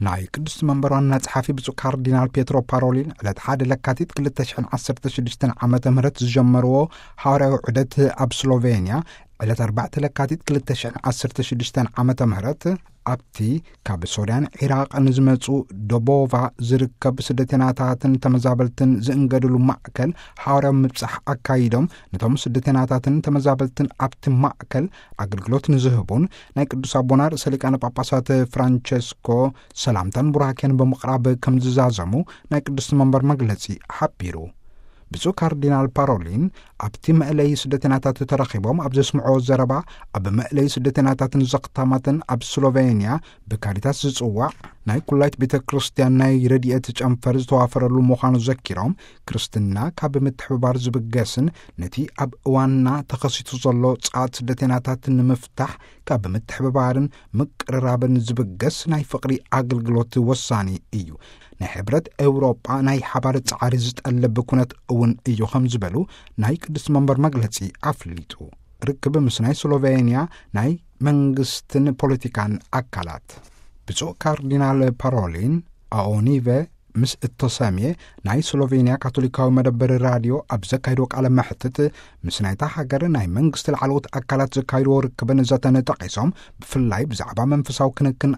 ናይ ቅዱስ መንበር ዋና ጸሓፊ ብፁዕ ካርዲናል ፔትሮ ፓሮሊን ዕለት ሓደ ለካቲት ክልተ ሽሕን ዓሰርተ ሽዱሽተን ዓመተ ምህረት ዝጀመርዎ ሃዋርያዊ ዑደት ኣብ ስሎቬንያ፣ ዕለት ኣርባዕተ ለካቲት ክልተ ሽሕን ዓሰርተ ሽዱሽተን ዓመተ ምህረት፣ ኣብቲ ካብ ሶርያን ዒራቕን ዝመጹ ዶቦቫ ዝርከብ ስደተናታትን ተመዛበልትን ዝእንገድሉ ማእከል ሃዋርያዊ ምብጻሕ ኣካይዶም፣ ነቶም ስደተናታትን ተመዛበልትን ኣብቲ ማእከል ኣገልግሎት ንዝህቡን ናይ ቅዱስ ኣቦና ርእሰ ሊቃነ ጳጳሳት ፍራንቸስኮ ሰላምታን ቡራኬን ብምቕራብ ከም ዝዛዘሙ ናይ ቅዱስ መንበር መግለጺ ሓቢሩ። ብፁዕ ካርዲናል ፓሮሊን ኣብቲ መእለዪ ስደተናታት ተረኺቦም ኣብ ዘስምዕዎ ዘረባ፣ ኣብ መእለዪ ስደተናታትን ዘኽታማትን ኣብ ስሎቬንያ ብካሪታስ ዝጽዋዕ ናይ ኩላይት ቤተ ክርስቲያን ናይ ረድኤት ጨንፈር ዝተዋፈረሉ ምዃኑ ዘኪሮም፣ ክርስትና ካብ ምትሕብባር ዝብገስን ነቲ ኣብ እዋንና ተኸሲቱ ዘሎ ጸዓት ስደተናታት ንምፍታሕ ካብ ምትሕብባርን ምቅርራብን ዝብገስ ናይ ፍቕሪ ኣገልግሎት ወሳኒ እዩ። ናይ ሕብረት ኤውሮጳ ናይ ሓባር ጻዕሪ ዝጠልብ ኩነት እውን እዩ ከም ዝበሉ ናይ ቅዱስ መንበር መግለጺ ኣፍሊጡ። ርክብ ምስ ናይ ስሎቬንያ ናይ መንግስትን ፖለቲካን ኣካላት። ብፁዕ ካርዲናል ፓሮሊን ኣኦኒቨ ምስ እተሰምየ ናይ ስሎቬንያ ካቶሊካዊ መደበር ራድዮ ኣብ ዘካይድዎ ቃለ መሕትት፣ ምስ ናይታ ሃገር ናይ መንግስቲ ላዕለዎት ኣካላት ዘካይድዎ ርክብን ዘተን ጠቒሶም፣ ብፍላይ ብዛዕባ መንፈሳዊ ክንክን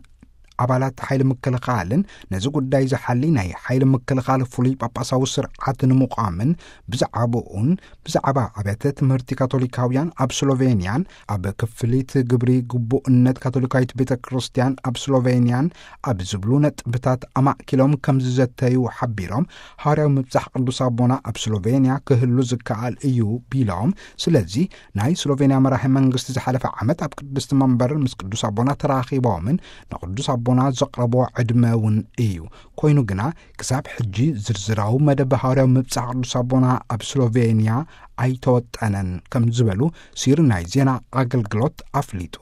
ኣባላት ሓይሊ ምክልኻልን ነዚ ጉዳይ ዝሓሊ ናይ ሓይሊ ምክልኻል ፍሉይ ጳጳሳዊ ስርዓት ንምቋምን ብዛዕባኡን ብዛዕባ ኣብያተ ትምህርቲ ካቶሊካውያን ኣብ ስሎቬንያን ኣብ ክፍሊት ግብሪ ግቡእነት ካቶሊካዊት ቤተ ክርስቲያን ኣብ ስሎቬንያን ኣብ ዝብሉ ነጥብታት ኣማእኪሎም ከም ዝዘተዩ ሓቢሮም፣ ሃዋርያዊ ምብጻሕ ቅዱስ ኣቦና ኣብ ስሎቬንያ ክህሉ ዝከኣል እዩ ቢሎም፣ ስለዚ ናይ ስሎቬንያ መራሒ መንግስቲ ዝሓለፈ ዓመት ኣብ ቅድስቲ መንበር ምስ ቅዱስ ኣቦና ተራኺቦምን ንቅዱስ ኣቦና ዘቕረቦ ዕድመ እውን እዩ። ኮይኑ ግና ክሳብ ሕጂ ዝርዝራዊ መደብ ሃዋርያዊ ምብጻሕ ቅዱስ ኣቦና ኣብ ስሎቬንያ ኣይተወጠነን ከም ዝበሉ ሲር ናይ ዜና ኣገልግሎት ኣፍሊጡ።